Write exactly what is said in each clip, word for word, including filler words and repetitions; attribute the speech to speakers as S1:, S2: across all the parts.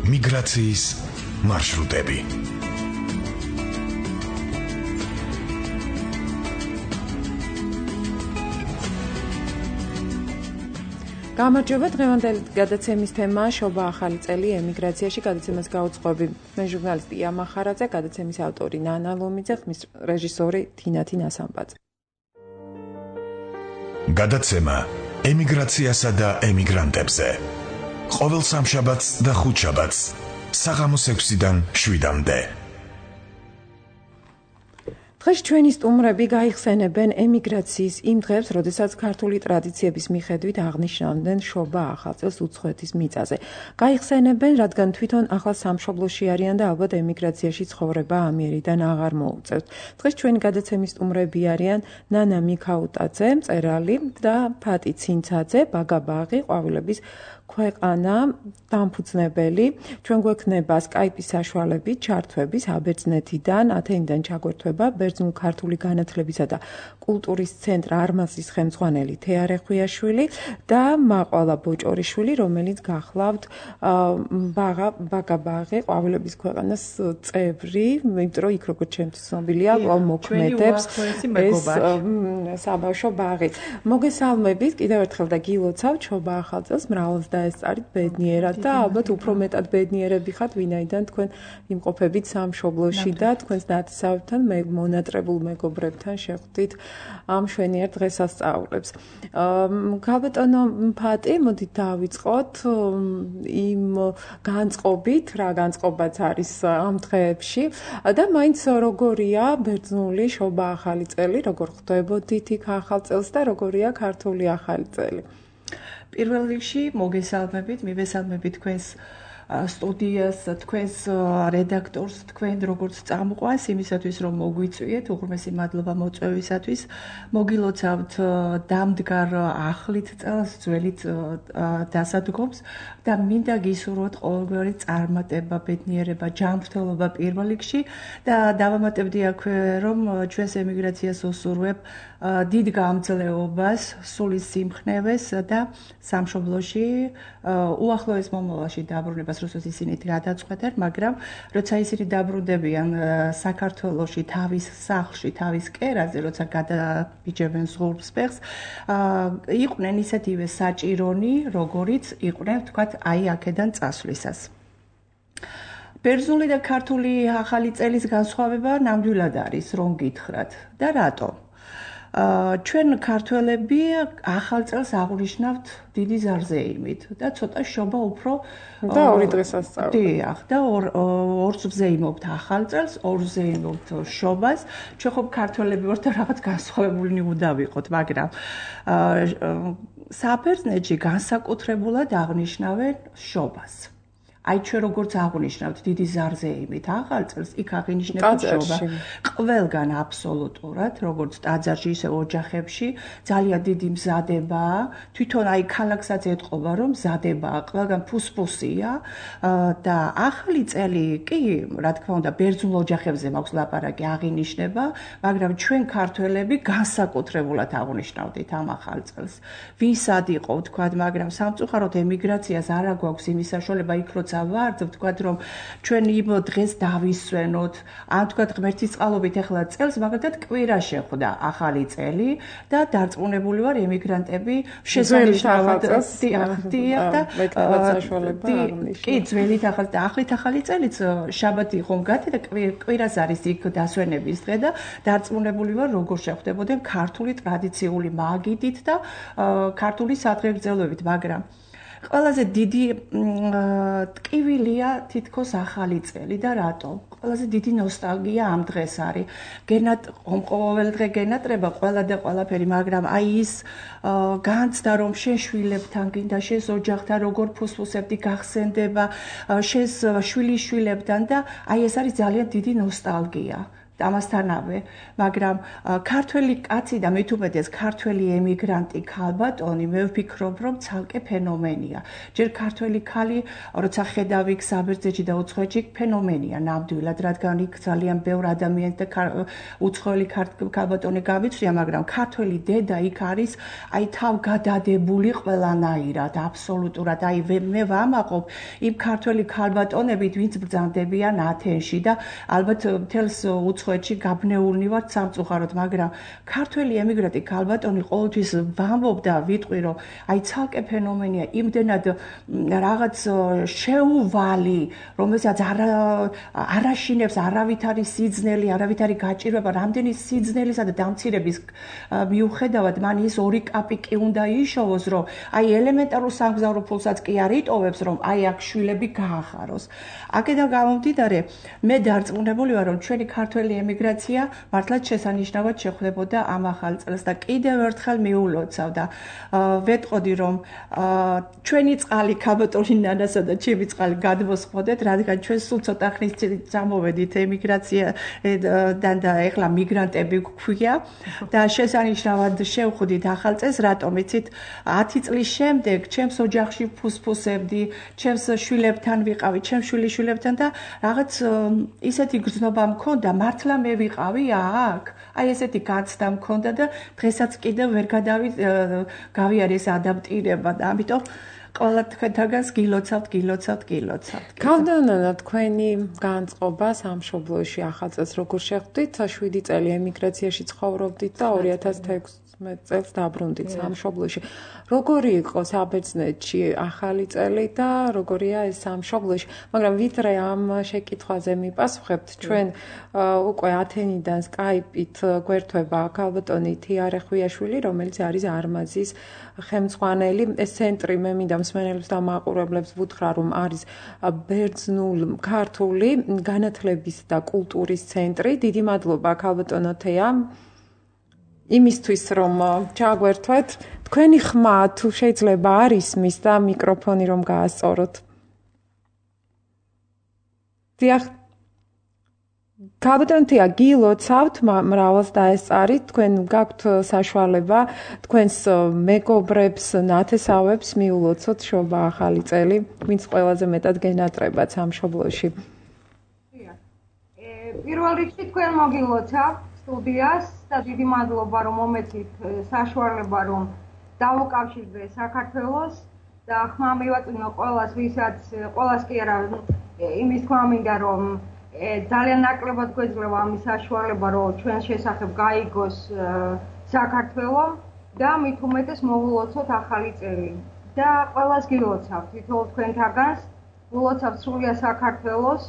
S1: მიგრაციის მარშრუტები.
S2: გამარჯობა, დღევანდელი გადაცემის თემაა შობა ახალი წელი ემიგრაციაში, გადაცემას გაუძღვები მე ჟურნალისტი ია მახარაძე, გადაცემის ავტორი ნანა ლომიძე, ხმის რეჟისორი თინათი ნასამბაძე.
S1: გადაცემა ემიგრაციასა და ემიგრანტებზე. ყოველ სამშაბათს და ხუთშაბათს საღამოს ექვსიდან შვიდამდე.
S2: დღეს ჩვენი სტუმრები გაიხსენებენ ემიგრაციის იმ დღებს, როდესაც ქართული ტრადიციების მიხედვით აღნიშნავდნენ შობა ახალ წელს უცხოეთის მიწაზე. გაიხსენებენ, რადგან თვითონ ახალ სამშობლოში არიან და ალბათ ემიგრაციაში ცხოვრება ამიერიდან აღარ მოუწევთ. დღეს ჩვენი გადაცემის სტუმრები არიან ნანა მიქაუტაძე, მწერალი და ფატი ცინცაძე, ბაგაბაღი, ყვავილების ქვეყანა დამფუძნებელი. ჩვენ გვექნება სკაიპის საშუალებით ჩართვების აბერძნეთიდან, ათენიდან ჩაგვერთვება ბერძნულ ქართული განათლებისა და კულტურის ცენტრ არმაზის ხელმძღვანელი თეა ხვიაშვილი და მაყვალა ბოჭორიშვილი, რომელიც გახლავთ ბაღა ბაგაბაღი, ყვავილების ქვეყანას წევრი, იმიტომ რომ იქ როგორც ჩემთვის ცნობილია, კვლავ მოქმედებს ეს საბავშვო ბაღი. მოგესალმებით კიდევ ერთხელ და გილოცავთ შობა ახალ წელს, მრავლს დაესწარით ბედნიერად და ალბათ უფრო მეტად ბედნიერები ხართ, ვინაიდან თქვენ იმყოფებით სამშობლოში და თქვენს ნათესავებთან მონატრებულ მეგობრებთან შეხვდით ამ შვენიერ დღესასწაულებს. გაბატონო ფატი, მოდით დავიწყოთ იმ განწყობით, რა განწყობაც არის ამ დღეებში და მაინც როგორია ბერძნული შობა ახალი წელი, როგორ ხვდებოდით იქ ახალ წელს და როგორია ქართული ახალი წელი?
S3: პირველ რიგში მოგესალმებით, მივესალმებით თქვენს სტუდიას, თქვენს რედაქტორს, თქვენ როგორც წამყვანს იმისათვის რომ მოგვიწვიეთ, უღრმესი მადლობა მოწვევისათვის. მოგილოცავთ დამდგარ ახლით წელს, ძველით დასადგომს და მინდა გისურვოთ ყოველგვარი წარმატება, ბედნიერება, ჯანმრთელობა პირველ რიგში და დავამატებდი აქვე რომ ჩვენს ემიგრაციას უსურვებ დიდ გამძლეობას, სულის სიმხნევეს და სამშობლოში უახლოეს მომავალში დაბრუნებას, როდესაც ისინი გადაწყვეტენ, მაგრამ როცა ისინი დაბრუნდებიან საქართველოში, თავის სახლში, თავის კერაზე, როცა გადაბიჯებენ ზღურბს ფეხს, იყვნენ ისეთივე საჭირონი, როგორიც იყვნენ, თქვათ, აი აქედან წასვლისას. ბერძნული და ქართული ახალი წელის განსხვავება ნამდვილად არის, რომ გითხრათ. და რატო? ჩვენ ქართველები ახალ წელს აღვნიშნავთ დიდი ზარზეიმით და ცოტა შობა უფრო
S2: და ორი დღესასწაული.
S3: დიახ, და ორს ვზეიმობთ ახალ წელს, ორს ვზეიმობთ შობას. ჩვენ ხომ ქართველები ვართ და რაღაც განსხვავებული უნდა ვიყოთ, მაგრამ საბერძნეთში განსაკუთრებულად აღნიშნავენ შობას. აი ჩვენ როგორც აღვნიშნავთ დიდი ზარზეიმით ახალ წელს, იქ აღინიშნება შობა. ყველგან აბსოლუტურად, როგორც ტაძარში, ისე ოჯახებში, ძალიან დიდი მზადებაა. თვითონ აი ქალაქსაც ეთყობა, რომ მზადებაა, ყველგან ფუსფუსია და ახალი წელი კი, რა თქმა უნდა, ბერძნულ ოჯახებზე მაქვს ლაპარაკი, აღინიშნება, მაგრამ ჩვენ ქართველები განსაკუთრებულად აღვნიშნავდით ამ ახალ წელს. ვინსად იყო, ვთქვათ, მაგრამ სამწუხაროდ ემიგრაციას არ აგვაქვს იმის საშუალება იქ როცა ვართ, ვთქვათ, რომ ჩვენ იმ დღეს დავისვენოთ, ან ვთქვათ, ღმერთის წყალობით ახლა წელს მაგალითად კვირა შეხვდა ახალი წელი და დარწმუნებული ვარ ემიგრანტები შესანიშნავად დიახ და კი ძველით ახალი და ახლით ახალი წელიც შაბათი ხომ გადი და კვირას არის იქ დასვენების დღე და დარწმუნებული ვარ როგორ შეხვდებოდნენ ქართული ტრადიციული მაგიდით და ქართული სადღეგრძელოებით, მაგრამ ყველაზე დიდი ტკივილია თითქოს ახალი წელი და რატო? ყველაზე დიდი ნოსტალგია ამ დღეს არის. გენატ ყოველ დღე გენატრება ყველა და ყველაფერი, მაგრამ აი ის განცდა რომ შენ შვილებთან გინდა, შენ ოჯახთან როგორ ფუსფუსებდი გახსენდება, შენ შვილიშვილებთან და აი ეს არის ძალიან დიდი ნოსტალგია. ამასთანავე, მაგრამ ქართველი კაცი და მით უმეტეს ქართველი ემიგრანტი ქალბატონი მე ვფიქრობ, რომ ცალკე ფენომენია. ჯერ ქართველი ქალი, როცა ხედავ იქ საბერძნეთში და უცხოეთში ფენომენია ნამდვილად, რადგან იქ ძალიან ბევრ ადამიანს და უცხოელი ქალბატონი გავიცვლია, მაგრამ ქართველი დედა იქ არის აი თავგადადებული ყველანაირად, აბსოლუტურად. აი მე ვამაყობ იმ ქართველი ქალბატონებით, ვინც ბრძანდებიან ათენში და ალბათ მთელს უცხოეთში გაბნეულნი ვართ სამწუხაროდ, მაგრამ ქართველი ემიგრანტი ქალბატონი ყოველთვის ვამბობ და ვიტყვი, რომ აი ცალკე ფენომენია, იმდენად რაღაც შეუვალი, რომელსაც არა არაშინებს არავითარი სიძნელი, არავითარი გაჭირვება, რამდენი სიძნელისა და დამცირების მიუხედავად მან ის ორი კაპიკი უნდა იშოვოს, რომ აი ელემენტარულ სამგზავრო ფულსაც კი არ იტოვებს, რომ აი აქ შვილები გაახაროს. აქედან გამომდინარე, მე დარწმუნებული ვარ, რომ ჩვენი ქართველი ემიგრაცია მართლაც შესანიშნავად შეხვდებოდა ამ ახალ წელს და კიდევ ერთხელ მიულოცავ და ვეტყოდი, რომ ჩვენი წყალი ქალბატონი ნანასა და ჩემი წყალი გადმოსხმოდეთ, რადგან ჩვენ სულ ცოტა ხნის წინ წამოვედით ემიგრაციიდან და ეხლა მიგრანტები გვქვია და შესანიშნავად შევხვდით ახალ წელს, რატომ იცით, ათი წლის შემდეგ ჩემს ოჯახში ფუსფუსებდი, ჩემს შვილებთან ვიყავი, ჩემს შვილიშვილებთან და რაღაც ისეთი გრძნობა მქონდა, მართლა მე ვიყავი აქ. აი ესეთი გაცდა მქონდა და დღესაც კიდევ ვერ გავიარე ეს ადაპტირება და ამიტომ ყველა თქვენთაგანს გილოცავთ, გილოცავთ, გილოცავთ.
S2: ქალბატონო, თქვენი განწყობა სამშობლოში ახალ წელს როგორ შეხვდით? შვიდი წელი ემიგრაციაში ცხოვრობდით და ორი ათას თექვსმეტ წელს დაბრუნდით სამშობლოში. როგორი იყო საბერძნეთში ახალი წელი და როგორია ეს სამშობლოში? მაგრამ ვიდრე ამ შეკითხვაზე მიპასუხებთ, ჩვენ უკვე ათენიდან Skype-ით გვერდება ქალბატონი თიარე ხვიაშვილი, რომელიც არის არმაზის ხელმძღვანელი. ეს ცენტრი მე მინდა მსმენელებს და მაყურებლებს ვუთხრა, რომ არის ბერძნულ ქართული განათლების და კულტურის ცენტრი. დიდი მადლობა ქალბატონო თეა იმისთვის, რომ ჩაგვერთვეთ. თქვენი ხმა თუ შეიძლება არ ისმის და მიკროფონი რომ გაასწოროთ. დიახ. ქალბატონო თეა, გილოცავთ მრავალს დაესწარით, თქვენ გაქვთ საშუალება თქვენს მეგობრებს, ნათესავებს მიულოცოთ შობა ახალი წელი, ვინც ყველაზე მეტად გენატრებათ სამშობლოში.
S4: პირველ რიგში თქვენ მოგილოცავთ სტუდიას და დიდი მადლობა, რომ მომეცით საშუალება, რომ დავუკავშირდე საქართველოს და ხმა მივაწვინო ყველას, ვისაც ყველას კი არა, იმის თქმა მინდა, რომ ძალიან ნაკლებად გვეძლევა ამის საშუალება, რომ ჩვენ შესახებ გაიგოს საქართველო და მით უმეტეს მოვულოცოთ ახალი წელი. და ყველას გილოცავთ, თითოეულ თქვენთაგანს, ვილოცავთ სრულიად საქართველოს.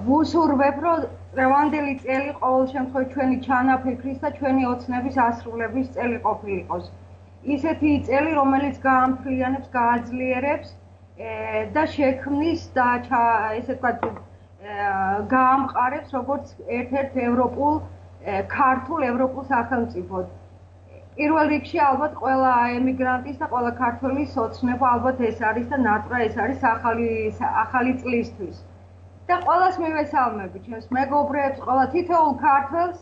S4: ვუსურვებ, რომ წლევანდელი წელი ყოველ შემთხვევაში ჩვენი ჩანაფიქრის და ჩვენი ოცნების ასრულების წელი ყოფილიყოს. ისეთი წელი, რომელიც გაამფრიანებს, გააძლიერებს და შექმნის და ესე ვთქვათ გაამყარებს როგორც ერთ-ერთ ევროპულ, ქართულ ევროპულ სახელმწიფოდ. პირველ რიგში ალბათ ყველა ემიგრანტის და ყველა ქართველის ოცნება ალბათ ეს არის და ნატრა ეს არის ახალი ახალი წლისთვის. და ყველას მივესალმები, ჩემს მეგობრებს, ყველა თითოეულ ქართველს,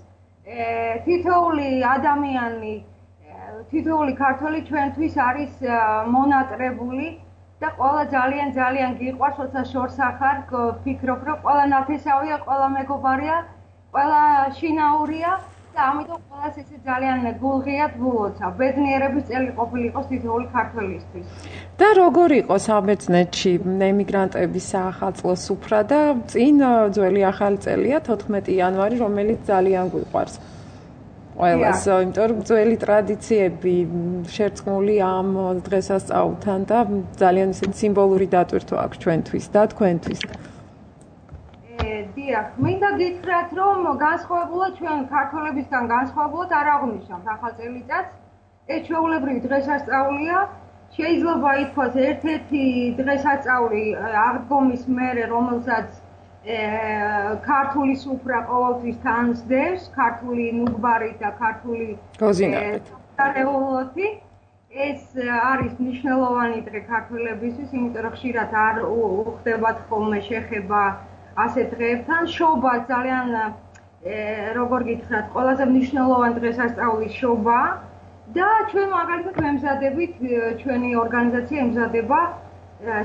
S4: თითოეული ადამიანი, თითოეული ქართველი ჩვენთვის არის მონატრებული და ყველა ძალიან ძალიან გიყვარს, როცა შორს ახარ ვფიქრობ, რომ ყველა ნათესავია, ყველა მეგობარია, ყველა შინაურია და ამიტომ ყველას ესე ძალიან გულღიად ვულოცავ. ბედნიერების წელი ყოფილიყოს თითოეული ქართველისთვის.
S2: და როგორ იყო საბერძნეთში ემიგრანტების საახალწლო სუფრა და წინ ძველი ახალი წელია თოთხმეტი იანვარი, რომელიც ძალიან გვიყვარს. ყველას, იმიტომ რომ ძველი ტრადიციები შერწყმული ამ დღესასწაულთან და ძალიან ისეთი სიმბოლური დატვირთვა აქვს ჩვენთვის და თქვენთვის.
S4: დიახ, მინდა გითხრათ, რომ განსხვავებულად ჩვენ ქართველებისგან განსხვავებულად არ აღვნიშნავთ ახალ წელიწადს. ეს ჩვეულებრივი დღესასწაულია. შეიძლება ითქვას ერთ-ერთი დღესასწაული აღდგომის მერე, რომელსაც ქართული სუფრა ყოველთვის თანსდევს, ქართული ნუგბარით და ქართული
S2: გოზინაყით.
S4: ეს არის მნიშვნელოვანი დღე ქართველებისთვის, იმიტომ რომ ხშირად არ უხდებათ ხოლმე შეხება ასეთ დღეებთან. შობა ძალიან როგორ გითხრათ, ყველაზე მნიშვნელოვანი დღესასწაულის შობა და ჩვენ მაგალითად ვემზადებით, ჩვენი ორგანიზაცია ემზადება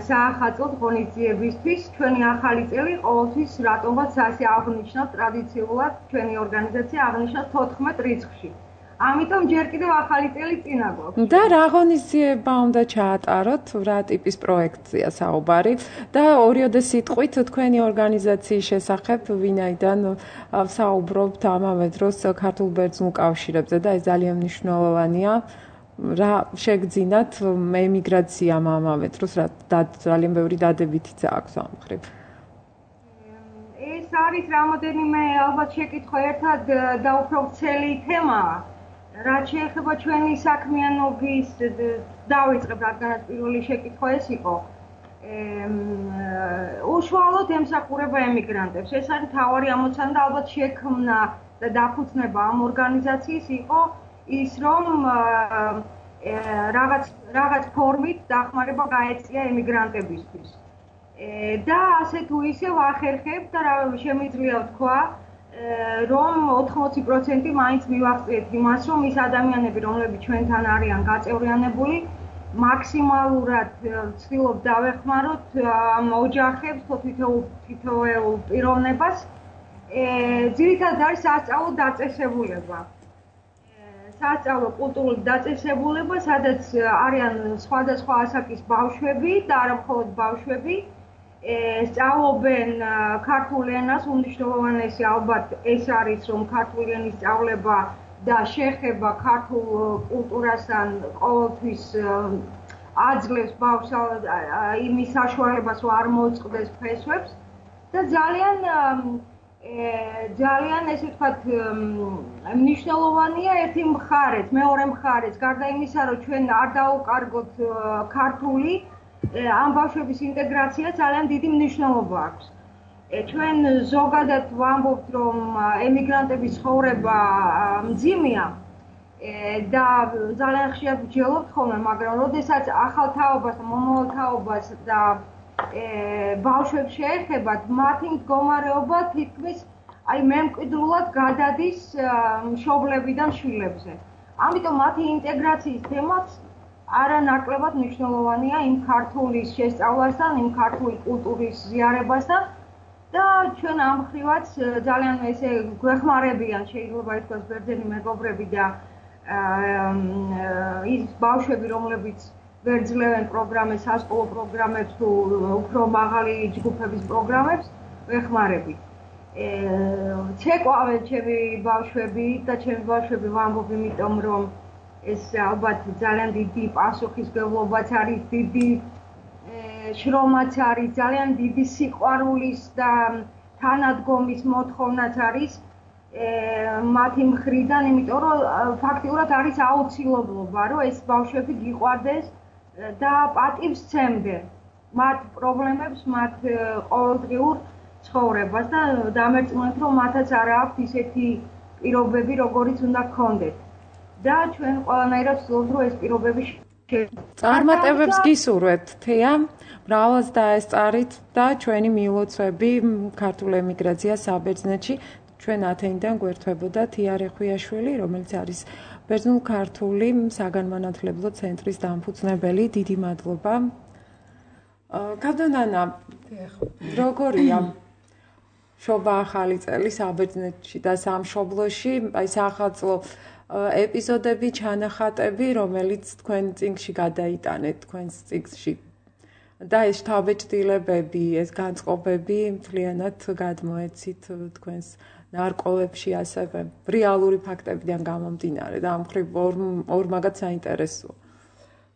S4: საახალწლო ღონისძიებისთვის, ჩვენი ახალი წელი ყოველთვის რატომღაც ასე აღნიშნავს ტრადიციულად ჩვენი ორგანიზაცია აღნიშნავს თოთხმეტ რიცხვში. ამიტომ ჯერ კიდევ ახალი წელი წინა გვაქვს.
S2: და რა ღონისძიება უნდა ჩაატაროთ, რა ტიპის პროექტია საუბარი და ორიოდე სიტყვით თქვენი ორგანიზაციის შესახებ, ვინაიდან საუბრობთ ამავე დროს ქართულ ბერძნულ კავშირებზე და ეს ძალიან მნიშვნელოვანია. რა შეგძინათ ემიგრაციამ ამავე დროს, რა ძალიან ბევრი დადებითიც აქვს ამ მხრივ.
S4: ეს არის რამოდენიმე ალბათ შეკითხვა ერთად და უფრო ვრცელი თემაა. რაც შეეხება ჩვენი საქმიანობის დავიწყებ, რადგანაც პირველი შეკითხვა ეს იყო. უშუალოდ ემსახურება ემიგრანტებს. ეს არის მთავარი ამოცანა და ალბათ შექმნა და დაფუძნება ამ ორგანიზაციის იყო ის, რომ რაღაც რაღაც ფორმით დახმარება გაეწია ემიგრანტებისთვის. და ასე თუ ისე ვახერხებ და შემიძლია ვთქვა, რომ ოთხმოცი პროცენტი მაინც მივახციეთ იმას, რომ ის ადამიანები, რომლებიც ჩვენთან არიან გაწევრიანებული, მაქსიმალურად ვცდილობ დავეხმაროთ ამ ოჯახებს თითოეულ პიროვნებას. ძირითადად არის სასწავლო დაწესებულება. სასწავლო კულტურული დაწესებულება, სადაც არიან სხვადასხვა ასაკის ბავშვები და არა მხოლოდ ბავშვები. სწავლობენ ქართულ ენას, უმნიშვნელოვანესი ალბათ ეს არის, რომ ქართული ენის სწავლება და შეხება ქართულ კულტურასთან ყოველთვის აძლევს ბავშვს იმის საშუალებას, რომ არ მოწყდეს ფესვებს და ძალიან ძალიან ესე ვთქვათ მნიშვნელოვანია ერთი მხარეც, მეორე მხარეც, გარდა იმისა, რომ ჩვენ არ დაუკარგოთ ქართული ამ ბავშვების ინტეგრაცია ძალიან დიდი მნიშვნელობა აქვს. ჩვენ ზოგადად ვამბობთ, რომ ემიგრანტების ცხოვრება მძიმეა და ძალიან ხშირად ვჯელობთ ხოლმე, მაგრამ როდესაც ახალ თაობას და მომავალ თაობას და ბავშვებს შეეხებათ, მათი მდგომარეობა თითქმის აი მემკვიდრულად გადადის მშობლებიდან შვილებზე. ამიტომ მათი ინტეგრაციის თემაც არანაკლებად მნიშვნელოვანია იმ ქართულის შესწავლასთან, იმ ქართული კულტურის ზიარებასთან და ჩვენ ამ მხრივაც ძალიან ესე გვეხმარებიან, შეიძლება ითქვას, ბერძენი მეგობრები და ის ბავშვები, რომლებიც ვერძლევენ პროგრამებს, სასკოლო პროგრამებს თუ უფრო მაღალი ჯგუფების პროგრამებს, ვეხმარებით. ცეკვავენ ჩემი ბავშვები და ჩემი ბავშვები ვამბობ, იმიტომ რომ ეს ალბათ ძალიან დიდი პასუხისმგებლობაც არის, დიდი შრომაც არის, ძალიან დიდი სიყვარულის და თანადგომის მოთხოვნაც არის მათი მხრიდან, იმიტომ რომ ფაქტიურად არის აუცილებლობა, რომ ეს ბავშვები გიყვარდეს და პატივს სცემდნენ მათ პრობლემებს, მათ ყოველდღიურ ცხოვრებას და დამერწმუნეთ, რომ მათაც არ აქვს ისეთი პირობები, როგორიც უნდა გქონდეთ. და ჩვენ ყველანაირად ვცდილობთ, რომ ეს პირობები
S2: წარმატებებს გისურვებთ, თეა, მრავლად დაესწარით და ჩვენი მილოცვები ქართულ ემიგრაციას საბერძნეთში ჩვენ ათენიდან გვერდებოდა თეა რეხვიაშვილი, რომელიც არის ბერძნულ-ქართული საგანმანათლებლო ცენტრის დამფუძნებელი. დიდი მადლობა. კადონანა, როგორია შობა ახალი წელი საბერძნეთში და სამშობლოში, აი საახალწლო ეპიზოდები, ჩანახატები, რომელიც თქვენ წიგნში გადაიტანეთ, თქვენს წიგნში. და ეს შთაბეჭდილებები, ეს განწყობები მთლიანად გადმოეცით თქვენს ნარკვევებში, ასევე რეალური ფაქტებიდან გამომდინარე და ამ მხრივ ორ მაგათ საინტერესოა.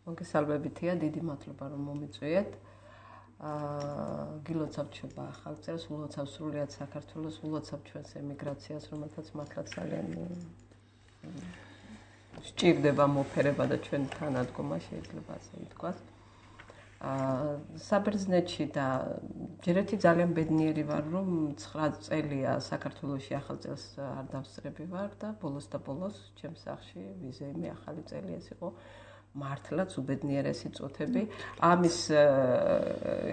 S5: მოგესალმებითია, დიდი მადლობა რომ მომიწვიეთ. აა გილოცავთ შობა ახალ წელს, ულოცავთ სრულიად საქართველოს, ულოცავთ ჩვენს ემიგრაციას, რომელთაც მართლაც ძალიან სჭირდება მოფერება და ჩვენ თანადგომა შეიძლება ასე ითქვას. აა საბერძნეთში და ჯერ ერთი ძალიან ბედნიერი ვარ, რომ ცხრა წელია საქართველოში ახალ წელს არ დავსწრები ვარ და ბოლოს და ბოლოს ჩემს სახლში ვიზეიმი ახალი წელი ეს იყო მართლაც უბედნიერესი წოთები. ამის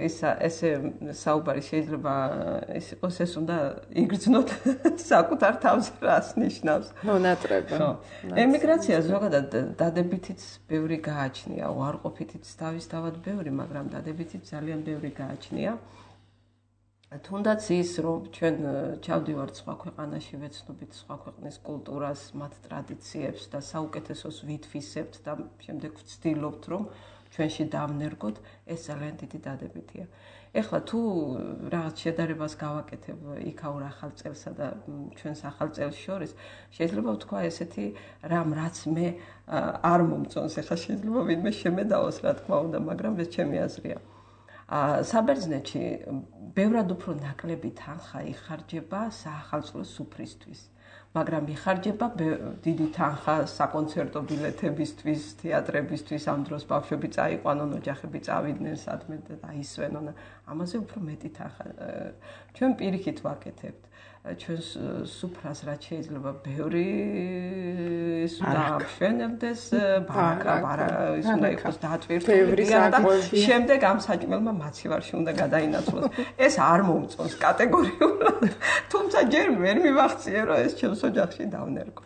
S5: ეს ესე საუბარი შეიძლება ის იყოს ეს უნდა იგრძნოთ საკუთარ თავზე რას ნიშნავს.
S2: მონატრება.
S5: ემიგრაცია ზოგადად დადებითიც ბევრი გააჩნია, უარყოფითიც თავისთავად ბევრი, მაგრამ დადებითიც ძალიან ბევრი გააჩნია. თუნდაც ის რომ ჩვენ ჩავდივართ სხვა ქვეყანაში, ვეცნობთ სხვა ქვეყნის კულტურას, მათ ტრადიციებს და საუკეთესოს ვითვისებთ და შემდეგ ვცდილობთ რომ ჩვენში დავნერგოთ, ეს ძალიან დიდი დადებითია. ეხლა თუ რაღაც შედარებას გავაკეთებ იქაურ ახალ წელსა და ჩვენს ახალ წელს შორის, შეიძლება ვთქვა ესეთი რამ რაც მე არ მომწონს, ეხლა შეიძლება ვინმე შემედაოს, რა თქმა უნდა, მაგრამ ეს ჩემი აზრია. საბერძნეთში ბევრად უფრო ნაკლები თანხა იხარჯება საახალწლო სუფრისთვის, მაგრამ იხარჯება დიდი თანხა საკონცერტო ბილეთებისთვის, თეატრებისთვის, ამ დროს ბავშვები წაიყვანონ, ოჯახები წავიდნენ სადმე და აისვენონ. ამაზე უფრო მეტი თანხა. ჩვენ პირიქით ვაკეთებთ. ჩვენს სუფრას რაც შეიძლება ბევრი დაამშვენებდეს, ბარაკა, ბარაკა, ის უნდა იყოს დატვირთული და შემდეგ ამ საჭმელმა მაცივარში უნდა გადაინაცვლოს. ეს არ მომწონს კატეგორიულად, თუმცა ჯერ ვერ მივახციე, რომ ეს ჩემს ოჯახში დავნერგო.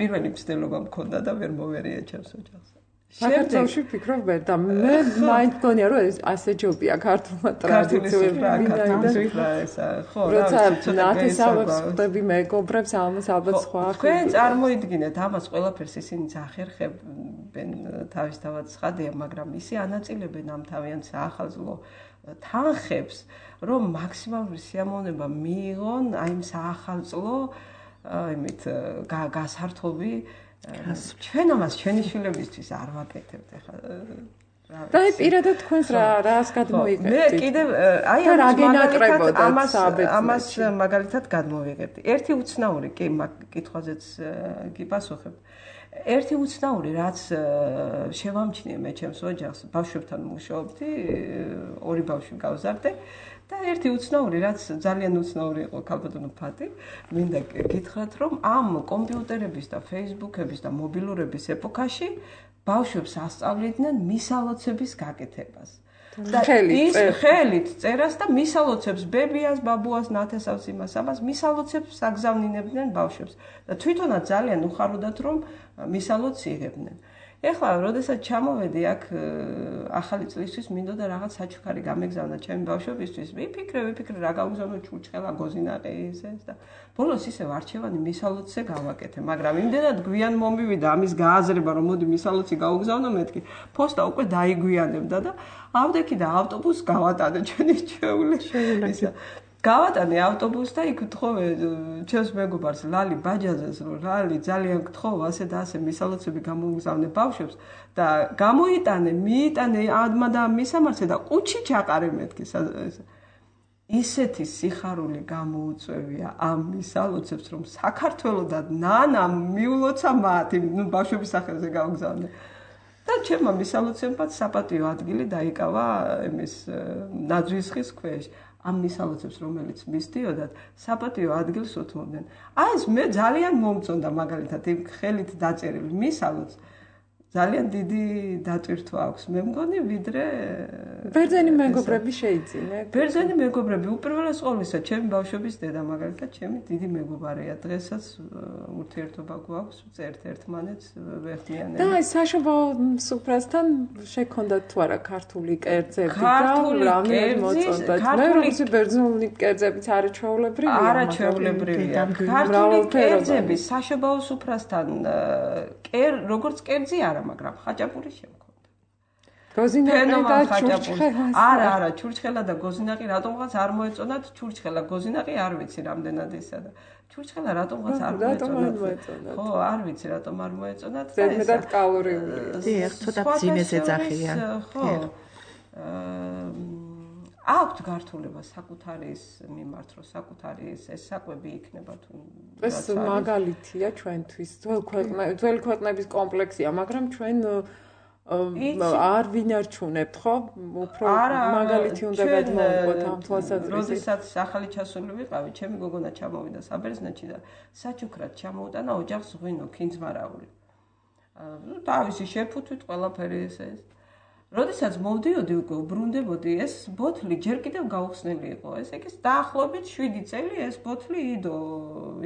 S5: პირველი მცდელობა მქონდა და ვერ მოვერიე ჩემს ოჯახს.
S2: საქართველოში ფიქრობ ვერ და მე მაინც მგონია რომ ეს ასე ჯობია ქართულმა ტრადიციებმა
S5: ხო
S2: როცა ნათესავებს ხდები მეგობრებს ამას ალბათ სხვა
S5: თქვენ წარმოიდგინეთ ამას ყველაფერს ისინი ახერხებენ თავისთავად ცხადია მაგრამ ისე ანაწილებენ ამ თავიანთ საახალწლო თანხებს რომ მაქსიმალური სიამოვნება მიიღონ აი იმ საახალწლო იმით გასართობი ჩვენ ამას ჩვენი შვილებისთვის არ ვაკეთებთ ახლა
S2: და აი პირადად თქვენს რა რას გადმოიგებთ
S5: მე კიდევ აი ამას ამას მაგალითად გადმოვიღებდი ერთი უცნაური კი კითხვაზეც გიპასუხებ ერთი უცნაური რაც შევამჩნიე მე ჩემს ოჯახს ბავშვებთან მუშაობდი ორი ბავშვი გავზარდე და ერთი უცნაური რაც ძალიან უცნაური იყო ქალბატონო ფათი მინდა გითხრათ რომ ამ კომპიუტერების და ფეისბუქების და მობილურების ეპოქაში ბავშვებს ასწავლიდნენ მისალოცების გაკეთებას და ის ხელით წერას და მისალოცებს ბებიას, ბაბუას, ნათესავს იმას ამას მისალოცებს აგზავნინებდნენ ბავშვებს და თვითონაც ძალიან უხაროდათ რომ მისალოც იღებდნენ ეხლა, როდესაც ჩამოვედი აქ ახალი წლისთვის, მინდოდა რაღაც საჩუქარი გამეგზავნა ჩემი ბავშვებისთვის. ვიფიქრე, ვიფიქრე, რა გავგზავნო ჩურჩხელა, გოზინაყი ის ეს და ბოლოს ისევ არჩევანი მისალოცზე გავაკეთე, მაგრამ იმდენად გვიან მომივიდა ამის გააზრება, რომ მოდი მისალოცი გავგზავნო მეთქი. ფოსტა უკვე დაიგვიანებდა და ავდექი და ავტობუსს გავატანე ჩვენი ჩვეულის. გავატანე ავტობუსს და იქ ვთხოვე ჩემს მეგობარს ლალი ბაჯაზეს რომ ლალი ძალიან გთხოვ ასე და ასე მისალოცები გამოგზავნე ბავშვებს და გამოიტანე მიიტანე ადმა და მისამართზე და ყუთში ჩაყარე მეთქი ისეთი სიხარული გამოუწევია ამ მისალოცებს რომ საქართველოდან ნანამ მიულოცა მათ ნუ ბავშვების სახელზე გავგზავნე და ჩემმა მისალოცებმა საპატიო ადგილი დაიკავა იმის ნაძვის ხის ქვეშ ამ მისალოცებს რომელიც მისდიოდათ საპატიო ადგილს უთმობდნენ. აი ეს მე ძალიან მომწონდა მაგალითად იმ ხელით დაწერილი მისალოც ძალიან დიდი დატვირთვა აქვს. მე მგონი ვიდრე
S2: ბერძენი მეგობრები შეიძინე.
S5: ბერძენი მეგობრები უპირველეს ყოვლისა ჩემი ბავშვების დედა მაგალითად ჩემი დიდი მეგობარია. დღესაც ურთიერთობა გვაქვს, წერთ ერთმანეთს, ვეხმიანებთ.
S2: და აი საშობაო სუფრასთან შექონდათ თუ არა ქართული კერძები და რამე მოწონდათ. მე როგორც ბერძნული კერძებიც არაჩვეულებრივია.
S5: არაჩვეულებრივია. ქართული კერძები საშობაო სუფრასთან კერ როგორც კერძი არა მაგრამ ხაჭაპური შემქონდა.
S2: გოზინაყი და ჩურჩხელა.
S5: არა, არა, ჩურჩხელა და გოზინაყი რატომღაც არ მოეწონათ, ჩურჩხელა, გოზინაყი არ ვიცი რამდენად ისა და ჩურჩხელა რატომღაც არ მოეწონათ. ხო, არ ვიცი რატომ არ მოეწონათ და ეს
S2: ზედმეტად კალორიულია.
S3: დიახ, ცოტა ძიმეს ეძახიან.
S5: ხო. აქვთ გართულება საკუთარის მიმართ, რომ საკუთარის ეს საკვები იქნება თუ
S2: ეს მაგალითია ჩვენთვის. ძველი ქვეყნების კომპლექსია, მაგრამ ჩვენ არ ვინარჩუნებთ, ხო? უფრო მაგალითი უნდა გადმოვყოთ ამ თვალსაზრისით.
S5: როდესაც ახალი ჩასული ვიყავი, ჩემი გოგონა ჩამოვიდა საბერძნეთში და საჩუქრად ჩამოუტანა ოჯახს ღვინო, ქინძმარაული. ნუ თავისი შეფუთვით ყველაფერი ესე ეს. როდესაც მოვდიოდი უკვე უბრუნდებოდი, ეს ბოთლი ჯერ კიდევ გაუხსნელი იყო. ესე იგი დაახლოებით შვიდი წელი ეს ბოთლი იდო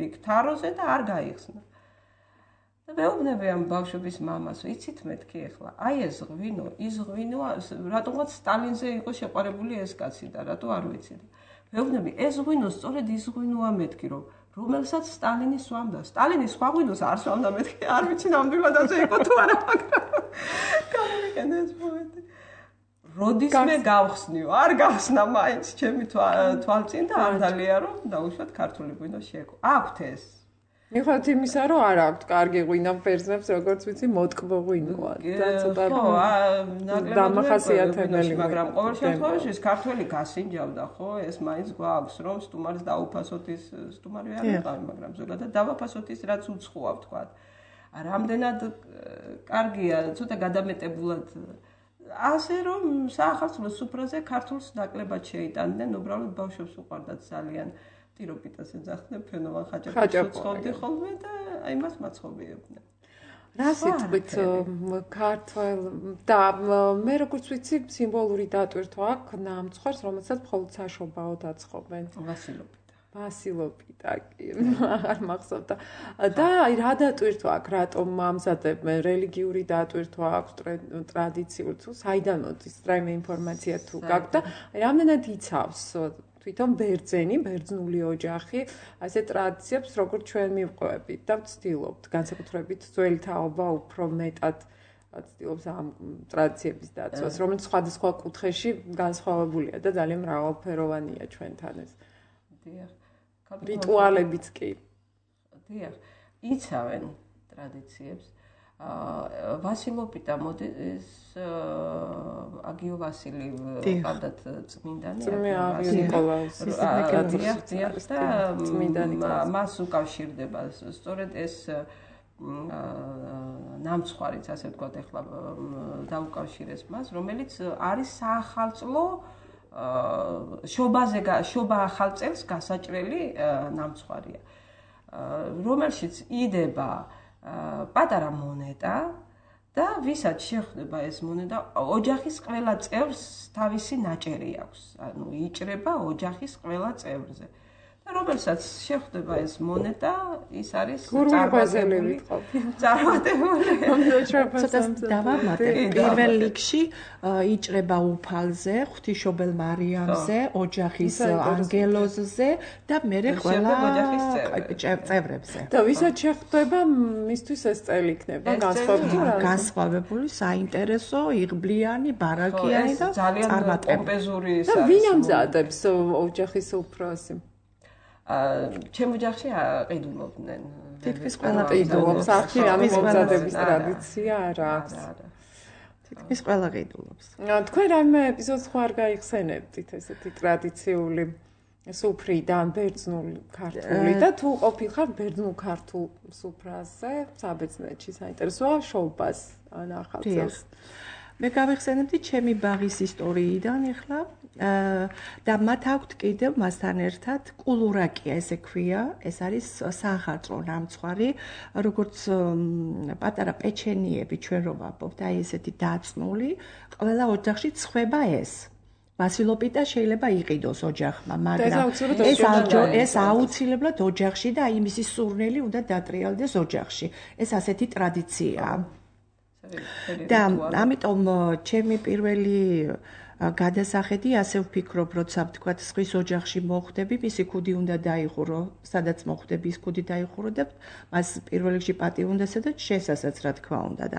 S5: იქ თაროზე და არ გაიხსნა. და მეუბნები ამ ბავშვების მამას, იცით მეთქი ახლა, აი ეს ღვინო, ის ღვინო, რატომღაც სტალინზე იყო შეყვარებული ეს კაცი და რატო არ ვიცი. მეუბნები, ეს ღვინო სწორედ ის ღვინოა მეთქი, რომ რომელსაც სტალინი სვამდა. სტალინი სხვა ღვინოს არ სვამდა მეთქი, არ ვიცი ნამდვილად ასე იყო თუ არა, მაგრამ გამიგენე ეს მომენტი. როდის მე გავხსნიო, არ გავხსნა მაინც ჩემი თვალწინ და არ დალია რომ დაუშვათ ქართული ღვინო შეეკო. აქვთ ეს
S2: მიხვდით იმისა, რომ არ აქვთ კარგი ღვინო ბერძნებს, როგორც ვიცი, მოტკბო ღვინოა და ცოტა დამახასიათებელი,
S5: მაგრამ ყოველ შემთხვევაში ეს ქართველი გასინჯავდა, ხო? ეს მაინც გვაქვს, რომ სტუმარს დაუფასოთ ის სტუმარი არ იყავი, მაგრამ ზოგადად დავაფასოთ ის, რაც უცხოა, ვთქვათ. რამდენად კარგია, ცოტა გადამეტებულად ასე რომ საახალწლო სუფრაზე ქართულს ნაკლებად შეიტანდნენ, უბრალოდ ბავშვებს უყვარდათ ძალიან. ტიროპიტას ეძახდნენ, ფენოვან ხაჭაპურს უცხოვდი ხოლმე და იმას მაცხოვიებდნენ.
S2: რა სიტყვით ქართველ და მე როგორც ვიცი, სიმბოლური დატვირთვა აქვს ნამცხვარს, რომელსაც მხოლოდ საშობაოდ აცხობენ.
S5: ვასილოპიტა.
S2: ვასილოპიტა კი, არ მახსოვდა. და აი რა დატვირთვა აქვს, რატომ ამზადებენ რელიგიური დატვირთვა აქვს, ტრადიციული თუ საიდან მოდის რაიმე ინფორმაცია თუ გაქვს და რამდენად იცავს თვითონ ბერძენი, ბერძნული ოჯახი, ასე ტრადიციებს, როგორც ჩვენ მივყვებით და ვცდილობთ, განსაკუთრებით ძველი თაობა უფრო მეტად ვცდილობს ამ ტრადიციების დაცვას, რომელიც სხვადასხვა კუთხეში განსხვავებულია და ძალიან მრავალფეროვანია ჩვენთან ეს.
S5: დიახ.
S2: რიტუალებიც კი.
S5: დიახ. იცავენ ტრადიციებს. ვასილოპიტა მოდის აგიო ვასილი პანდათ წმინდანი და მას უკავშირდება სწორედ ეს ნამცხვარიც ასე ვთქვათ ახლა დაუკავშირეს მას რომელიც არის საახალწლო შობაზე შობა ახალწელს გასაჭრელი ნამცხვარია რომელშიც იდება პატარა მონეტა და ვისაც შეხვდება ეს მონეტა ოჯახის ყველა წევრს თავისი ნაჭერი აქვს ანუ იჭრება ოჯახის ყველა წევრზე და რომელსაც შეხვდება ეს მონეტა ის არის
S2: წარმატებული
S5: წარმატებული
S3: ცოტა დავამატე პირველ რიგში იჭრება უფალზე ღვთისმშობელ მარიამზე ოჯახის ანგელოზზე და მერე ყველა წევრებზე
S2: და ვისაც შეხვდება მისთვის ეს წელი იქნება განსხვავებული
S3: განსხვავებული საინტერესო იღბლიანი ბარაკიანი და
S5: წარმატებული
S2: და ვინ ამზადებს ოჯახის უფროსი
S5: ჩემ ოჯახში ყიდულობდნენ.
S3: თითქმის ყველა
S2: ყიდულობს. ახი რამე მომზადების ტრადიცია არ აქვს.
S3: თითქმის ყველა ყიდულობს.
S2: თქვენ რამე ეპიზოდს ხო არ გაიხსენებდით ესეთი ტრადიციული სუფრიდან ბერძნული ქართული და თუ ყოფილხარ ბერძნულ ქართულ სუფრაზე საბერძნეთში საინტერესოა შობას ან ახალწელს.
S3: მე გავიხსენებდი ჩემი ბაღის ისტორიიდან ახლა და მათ აქვთ კიდევ მასთან ერთად კულურაკია ესე ქვია ეს არის საახალწლო ნამცხვარი როგორც პატარა პეჩენიები ჩვენ რო ვაპოვთ აი ესეთი დაწნული ყველა ოჯახში წხვება ეს ვასილოპიტა შეიძლება იყიდოს ოჯახმა მაგრამ ეს ეს აუცილებლად ოჯახში და აი მისი სურნელი უნდა დატრიალდეს ოჯახში ეს ასეთი ტრადიციაა და ამიტომ ჩემი პირველი გადასახედი ასე ვფიქრობ, როცა ვთქვათ, სხვის ოჯახში მოხვდები, მისი ქუდი უნდა დაიხურო, სადაც მოხვდები, ის ქუდი დაიხურო და მას პირველ რიგში პატივ უნდა სცადოთ, შესასაც რა თქმა უნდა და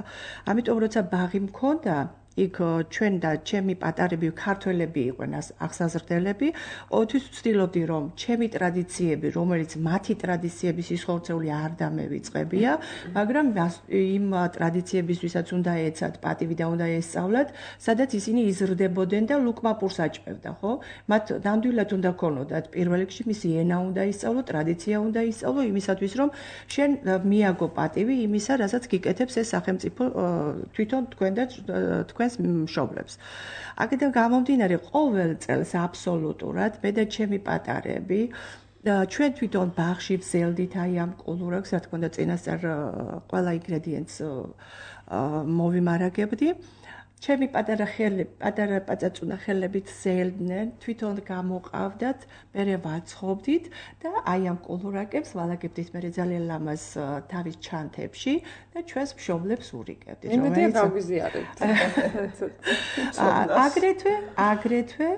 S3: ამიტომ როცა ბაღი მქონდა იქ ჩვენ და ჩემი პატარები ქართველები იყვნენ ახსაზრდელები, ოთვის ვცდილობდი რომ ჩემი ტრადიციები, რომელიც მათი ტრადიციების სიხორცეული არ დამევიწყებია, მაგრამ იმ ტრადიციებისთვისაც უნდა ეცათ პატივი და უნდა ესწავლათ, სადაც ისინი იზრდებოდნენ და ლუკმაპურს აჭმევდა, ხო? მათ ნამდვილად უნდა ქონოდათ პირველ რიგში მისი ენა უნდა ისწავლო, ტრადიცია უნდა ისწავლო იმისათვის რომ შენ მიაგო პატივი იმისა, რასაც გიკეთებს ეს სახელმწიფო თვითონ თქვენ და თქვენ მშობლებს. აქედან გამომდინარე ყოველ წელს აბსოლუტურად მე და ჩემი პატარები ჩვენ თვითონ ბაღში ვზელდით აი ამ კულურებს, რა თქმა უნდა, წინასწარ ყველა ინგრედიენტს მოვიმარაგებდი. ჩემი პატარა ხელები, პატარა პაწაწუნა ხელებით ზელდნენ, თვითონ გამოყავდათ, მერე ვაცხობდით და აი ამ კულურაკებს ვალაგებდით მერე ძალიან ლამაზ თავის ჩანთებში და ჩვენს მშობლებს ურიგებდით.
S2: იმედია გავიზიარებთ.
S3: აგრეთვე, აგრეთვე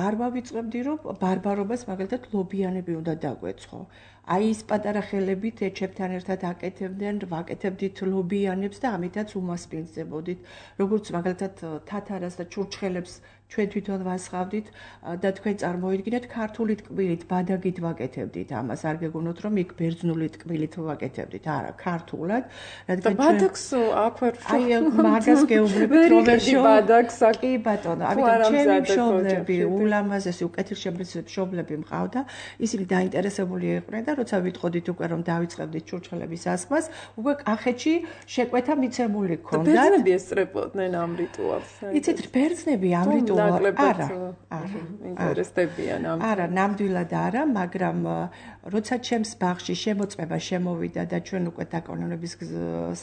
S3: არ ვავიწყებდი, რომ ბარბარობას მაგალითად ლობიანები უნდა დაგვეცხო. აი ის პატარა ხელებით ეჩებთან ერთად აკეთებდნენ, ვაკეთებდით ლობიანებს და ამითაც უმასპინძლებოდით. როგორც მაგალითად თათარას და ჩურჩხელებს ჩვენ თვითონ ვასხავდით და თქვენ წარმოიდგინეთ ქართული ტკბილით, ბადაგით ვაკეთებდით ამას. არ გეგონოთ რომ იქ ბერძნული ტკბილით ვაკეთებდით, არა, ქართულად.
S2: რადგან ბადაგს აქვე
S3: აი მაგას გეუბნებით რომ
S2: ბადაგს
S3: კი ბატონო, ამიტომ ჩემი მშობლები, ულამაზესი უკეთილშემძლე მშობლები მყავდა, ისინი დაინტერესებული იყვნენ და როცა ვიტყოდით უკვე რომ დავიწყებდით ჩურჩხელების ასხმას, უკვე კახეთში შეკვეთა მიცემული ქონდათ.
S2: ბერძნები ესწრებოდნენ ამ რიტუალს.
S3: იცით, ბერძნები ამ რიტუალს არა,
S2: არა, ინტერესდებიან ამ.
S3: არა, ნამდვილად არა, მაგრამ როცა ჩემს ბაღში შემოწმება შემოვიდა და ჩვენ უკვე დაკანონების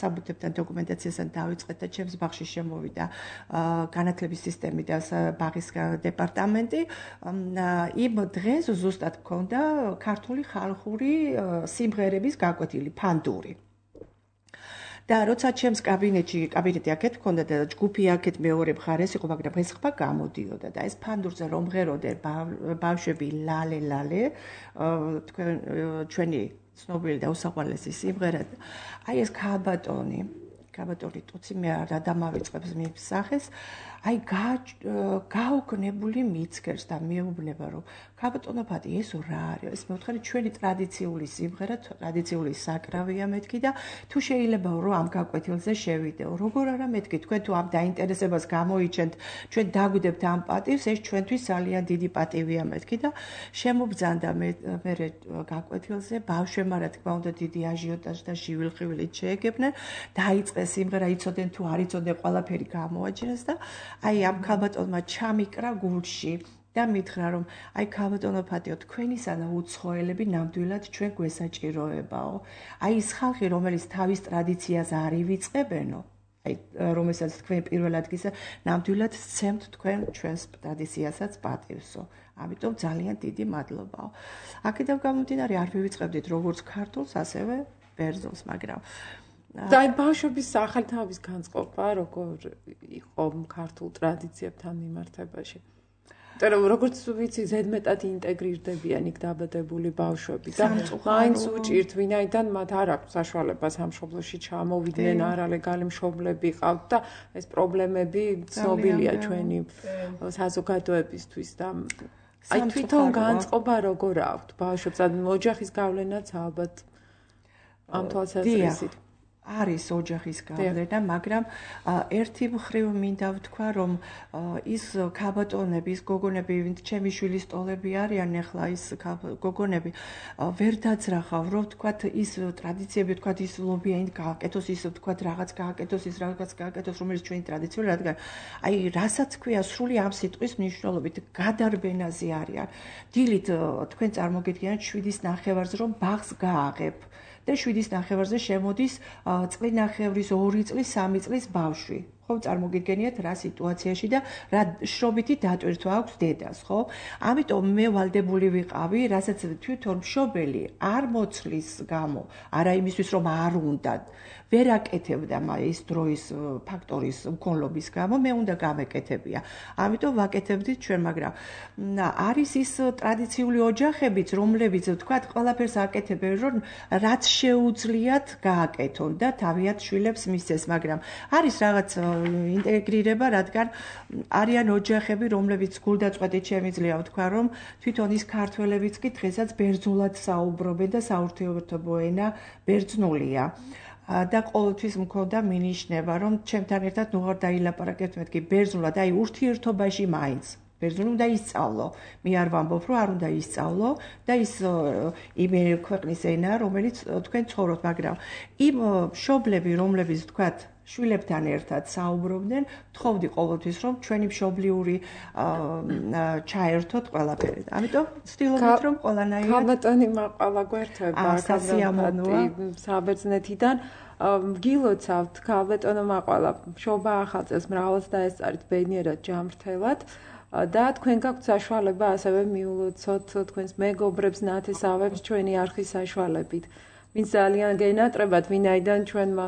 S3: საბუთებთან დოკუმენტაციასთან დავიწყეთ და ჩემს ბაღში შემოვიდა განათლების სისტემი და ბაღის დეპარტამენტი, იმ დღეს ზუსტად მქონდა ქართული ხალხური სიმღერების გაკვეთილი ფანდური. და როცა ჩემს კაბინეტში, კაბინეტი აქეთ მქონდა და ჯგუფი აქეთ მეორე მხარეს იყო, მაგრამ ეს ხმა გამოდიოდა და ეს ფანდურზე რომ ღეროდნენ ბავშვები ლალე ლალე, თქვენ ჩვენი ცნობილი და უსაყვარლესი სიმღერა. აი ეს ქალბატონი, ქალბატონი ტუცი მე რა დამავიწყებს მისახეს, აი გაუგნებული მიცქერს და მეუბნება რომ ქალბატონო ეს რა არის? ეს მე ვთქვი ჩვენი ტრადიციული სიმღერა, ტრადიციული საკრავია მეთქი და თუ შეიძლება რომ ამ გაკვეთილზე შევიდეო. როგორ არა მეთქი, თქვენ თუ ამ დაინტერესებას გამოიჩენთ, ჩვენ დაგვიდებთ ამ პატივს, ეს ჩვენთვის ძალიან დიდი პატივია მეთქი და შემობძანდა მე მე გაკვეთილზე ბავშვებმა რა თქმა უნდა დიდი აჟიოტაჟი და შივილხივილით შეეგებნენ, დაიწყეს სიმღერა, იცოდნენ თუ არ იცოდნენ, ყველაფერი გამოაჩინეს და აი ამ ქალბატონმა ჩამიკრა გულში და მითხრა რომ აი ქალბატონო ფატიო თქვენისანა უცხოელები ნამდვილად ჩვენ გვესაჭიროებაო. აი ის ხალხი რომელიც თავის ტრადიციას არ ივიწყებენო, აი რომელსაც თქვენ პირველად გისა ნამდვილად სცემთ თქვენ ჩვენს ტრადიციასაც პატივსო. ამიტომ ძალიან დიდი მადლობაო. აქედან გამომდინარე არ ვივიწყებდით როგორც ქართულს, ასევე ბერძნულს, მაგრამ
S2: და აი ბავშვების სახელთავის განწყობა როგორ იყო ქართულ ტრადიციებთან მიმართებაში? იმიტომ როგორც ვიცი, ზედმეტად ინტეგრირდებიან იქ დაბადებული ბავშვები და მაინც უჭირთ, ვინაიდან მათ არ აქვს საშუალება სამშობლოში ჩამოვიდნენ, არალეგალი მშობლები ყავთ და ეს პრობლემები ცნობილია ჩვენი საზოგადოებისთვის და აი თვითონ განწყობა როგორ აქვთ ბავშვებს? ოჯახის გავლენაც ალბათ ამ თვალსაზრისით
S3: არის ოჯახის გავლენა, მაგრამ ერთი მხრივ მინდა ვთქვა, რომ ის ქალბატონები, ის გოგონები, ვინც ჩემი შვილის ტოლები არიან, ახლა ის გოგონები ვერ დაძრახავ, რომ ვთქვათ ის ტრადიციები, ვთქვათ ის ლობიანი გააკეთოს, ის ვთქვათ რაღაც გააკეთოს, ის რაღაც გააკეთოს, რომელიც ჩვენი ტრადიციული, რადგან აი რასაც ქვია სრული ამ სიტყვის მნიშვნელობით გადარბენაზე არიან. დილით თქვენ წარმოგიდგენთ შვიდის ნახევარზე რომ ბაღს გააღებ. და შვიდის ნახევარზე შემოდის წლინახევრის ორი წლის, სამი წლის ბავშვი. ხო, წარმოგიდგენიათ რა სიტუაციაში და რა შრობითი დატვირთვა აქვს დედას, ხო? ამიტომ მე ვალდებული ვიყავი, რასაც თვითონ მშობელი არ მოცლის გამო, არა იმისთვის რომ არ უნდა ვერ აკეთებდა ის დროის ფაქტორის მქონლობის გამო, მე უნდა გამეკეთებია. ამიტომ ვაკეთებდით ჩვენ, მაგრამ არის ის ტრადიციული ოჯახებიც, რომლებიც ვთქვათ, ყველაფერს აკეთებენ, რომ რაც შეუძლიათ გააკეთონ და თავიანთ შვილებს მისცეს, მაგრამ არის რაღაც ინტეგრირება, რადგან არიან ოჯახები, რომლებიც გულდაწყვეტით შემიძლია ვთქვა, რომ თვითონ ის ქართველებიც კი დღესაც ბერძნულად საუბრობენ და საურთიერთობო ენა ბერძნულია. და ყოველთვის მქონდა მინიშნება, რომ ჩემთან ერთად ნუ არ დაილაპარაკებთ მეთქი ბერძნულად, აი ურთიერთობაში მაინც ბერძნული უნდა ისწავლო. მე არ ვამბობ, რომ არ უნდა ისწავლო და ის იმ ქვეყნის ენა, რომელიც თქვენ ცხოვრობთ, მაგრამ იმ მშობლები, რომლებიც თქვათ შვილებთან ერთად საუბრობდნენ, თხოვდი ყოველთვის, რომ ჩვენი მშობლიური ჩაერთოთ ყველაფერი. ამიტომ ვცდილობთ, რომ ყველანაირად
S2: ქალბატონი მაყალა გვერდება,
S3: სასიამოვნოა
S2: საბერძნეთიდან გილოცავთ ქალბატონო მაყალა, შობა ახალწელს მრავლად დაესწარით ბედნიერად ჯამრთელად და თქვენ გაქვთ საშუალება ასევე მიულოცოთ თქვენს მეგობრებს, ნათესავებს ჩვენი არხის საშუალებით. ვინც ძალიან გენატრებათ, ვინაიდან ჩვენმა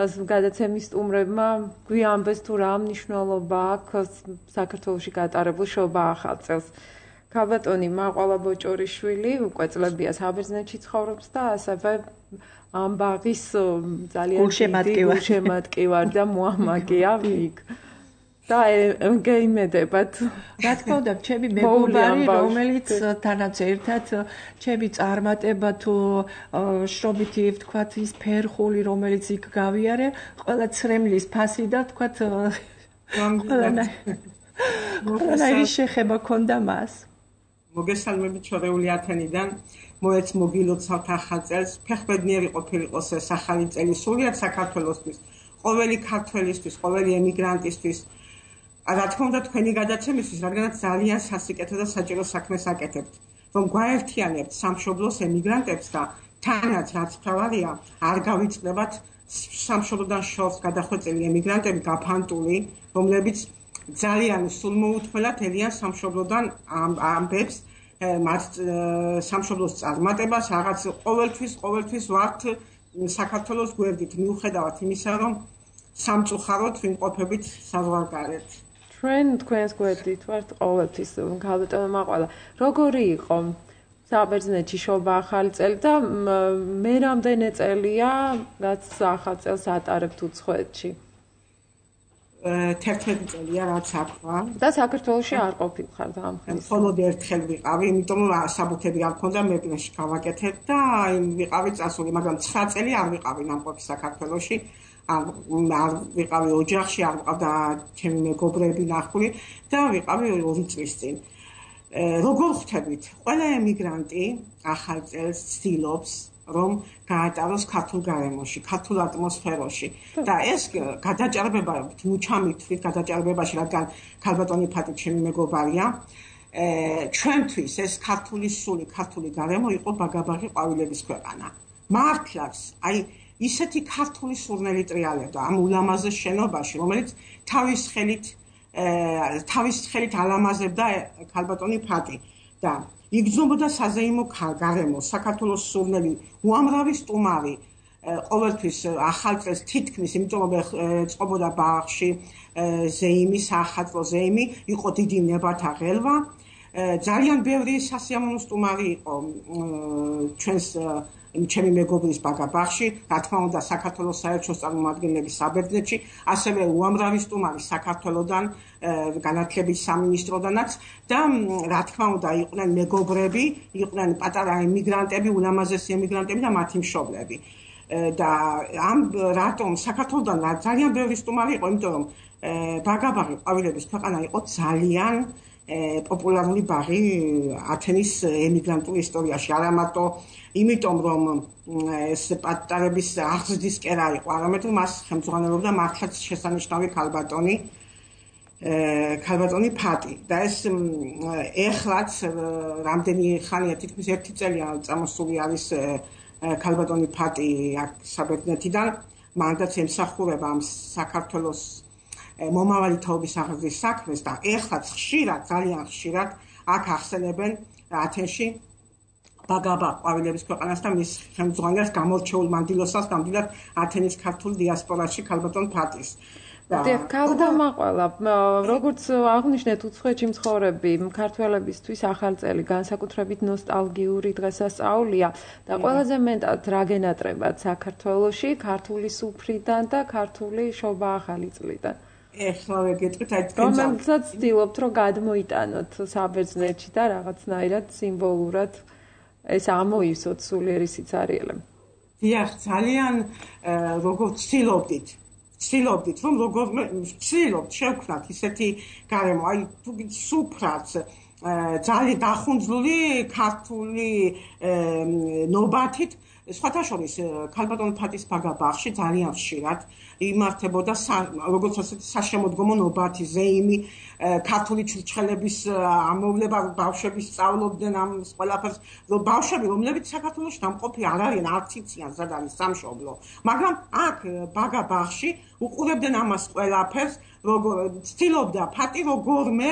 S2: გადაცემის სტუმრებმა გვიამბეს თუ რა მნიშვნელობა აქვს საქართველოში გატარებულ შობა ახალწელს. ქალბატონი მაყალა ბოჭორიშვილი უკვე წლებია საბერძნეთში ცხოვრობს და ასევე ამბაღის ძალიან დიდი გულშემატკივარ და მოამაგეა იქ. და გეიმედებათ.
S3: რა თქმა უნდა, ჩემი მეგობარი, რომელიც თანაც ერთად ჩემი წარმატება თუ შრომითი ვთქვათ ის ფერხული, რომელიც იქ გავიარე, ყველა ცრემლის ფასი და ვთქვათ ყველანაირი შეხება ქონდა მას.
S6: მოგესალმებით ჩვეული ათენიდან, მოეც მოგილოცავთ ახალწელს, ფეხბედნიერი ყოფილიყოს ეს ახალი წელი სულიად საქართველოსთვის, ყოველი ქართველისთვის, ყოველი ემიგრანტისთვის. რა თქმა უნდა თქვენი გადაცემისთვის, რადგანაც ძალიან სასიკეთო და საჭირო საქმეს აკეთებთ, რომ გვაერთიანებთ სამშობლოს ემიგრანტებს და თანაც რაც მთავარია, არ გავიწყდებათ სამშობლოდან შორს გადახვეწილი ემიგრანტები გაფანტული, რომლებიც ძალიან სულმოუთმელად ელიან სამშობლოდან ამბებს, მათ სამშობლოს წარმატებას, რაღაც ყოველთვის, ყოველთვის ვართ საქართველოს გვერდით, მიუხედავად იმისა, რომ სამწუხაროდ ვიმყოფებით საზღვარგარეთ.
S2: ჩვენ თქვენს გვერდით ვართ ყოველთვის, ქალბატონო მაყალა. როგორი იყო საბერძნეთში შობა ახალი წელი და მე რამდენი წელია, რაც ახალ წელს ატარებთ უცხოეთში?
S6: თერთმეტი წელია, რაც აქვთ.
S2: და საქართველოში არ ყოფილიყარ ამ ხელს.
S6: მხოლოდ ერთხელ ვიყავი, იმიტომ რომ საბუთები არ მქონდა, მეპნეში გავაკეთეთ და ვიყავი წასული, მაგრამ ცხრა წელი არ ვიყავი ნამყოფი საქართველოში. არ ვიყავი ოჯახში, არ ვიყავდა ჩემი მეგობრები ნახული და ვიყავი ორი წლის წინ. როგორ ხვდებით? ყველა ემიგრანტი ახალ წელს ცდილობს, რომ გაატაროს ქართულ გარემოში, ქართულ ატმოსფეროში და ეს გადაჭარბება, მუჩამითვით გადაჭარბებაში, რადგან ქალბატონი ფატი ჩემი მეგობარია, ჩვენთვის ეს ქართული სული, ქართული გარემო იყო ბაგაბაღი ყვავილების ქვეყანა. მართლაც, აი ისეთი ქართული სურნელი ტრიალებდა ამ ულამაზეს შენობაში, რომელიც თავის ხელით თავის ხელით ალამაზებდა ქალბატონი ფატი და იგრძნობოდა საზეიმო გარემო, საქართველოს სურნელი, უამრავი სტუმარი, ყოველთვის ახალ წელს თითქმის, იმიტომ რომ წყობოდა ბაღში ზეიმი, საახალწლო ზეიმი, იყო დიდი ნებათა ღელვა, ძალიან ბევრი სასიამოვნო სტუმარი იყო ჩვენს ჩემი მეგობრის ბაგაბაღში, რა თქმა უნდა საქართველოს საელჩოს წარმომადგენლები საბერძნეთში, ასევე უამრავი სტუმარი საქართველოდან, განათლების სამინისტროდანაც და რა თქმა უნდა იყვნენ მეგობრები, იყვნენ პატარა ემიგრანტები, ულამაზესი ემიგრანტები და მათი მშობლები. და ამ რატომ საქართველოდან ძალიან ბევრი სტუმარი იყო, იმიტომ რომ ბაგაბაღი ყვავილების ქვეყანა იყო ძალიან პოპულარული ბაღი ათენის ემიგრანტულ ისტორიაში, არა მარტო იმიტომ რომ ეს პატარების აღზრდის კერა იყო, არამედ მას ხელმძღვანელობდა მართლაც შესანიშნავი ქალბატონი ქალბატონი ფატი და ეს ეხლაც რამდენი ხანია, თითქმის ერთი წელია წამოსული არის ქალბატონი ფატი აქ საბერძნეთიდან, მანდაც ემსახურება ამ საქართველოს მომავალი თაობის აღზრდის საქმეს და ეხლაც ხშირად, ძალიან ხშირად აქ ახსენებენ ათენში ბაგაბაღ ყვავილების ქვეყანას და მის ხელმძღვანელს გამორჩეულ მანდილოსას, ნამდვილად ათენის ქართულ დიასპორაში ქალბატონ ფატის.
S2: დიახ, ქალბატონ მაყალა, როგორც აღნიშნეთ, უცხოეთში მცხოვრები ქართველებისთვის ახალი წელი განსაკუთრებით ნოსტალგიური დღესასწაულია და ყველაზე მეტად რა გენატრებათ საქართველოში, ქართული სუფრიდან და ქართული შობა ახალი წლიდან.
S6: ეხლა გეტყვით, აი თქვენ
S2: რომელსაც ვცდილობთ, რომ გადმოიტანოთ საბერძნეთში და რაღაცნაირად სიმბოლურად ეს ამოივსოთ სულიერი სიცარიელე.
S6: დიახ, ძალიან როგორც ვცდილობდით, ვცდილობდით რომ როგორმე ვცდილობთ შევქმნათ ისეთი გარემო, აი თუ სუფრაც ძალიან დახუნძლული ქართული ნობათით სხვათა შორის ქალბატონ ფატის ბაგა ბაღში ძალიან ხშირად იმართებოდა როგორც ასეთი საშემოდგომო ნობათი ზეიმი ქართული ჩურჩხელების ამოვლება ბავშვები სწავლობდნენ ამ ყველაფერს ბავშვები რომლებიც საქართველოში დამყოფი არ არიან არც იციან სად არის სამშობლო მაგრამ აქ ბაგა ბაღში უყურებდნენ ამას ყველაფერს როგორ ცდილობდა ფატი როგორმე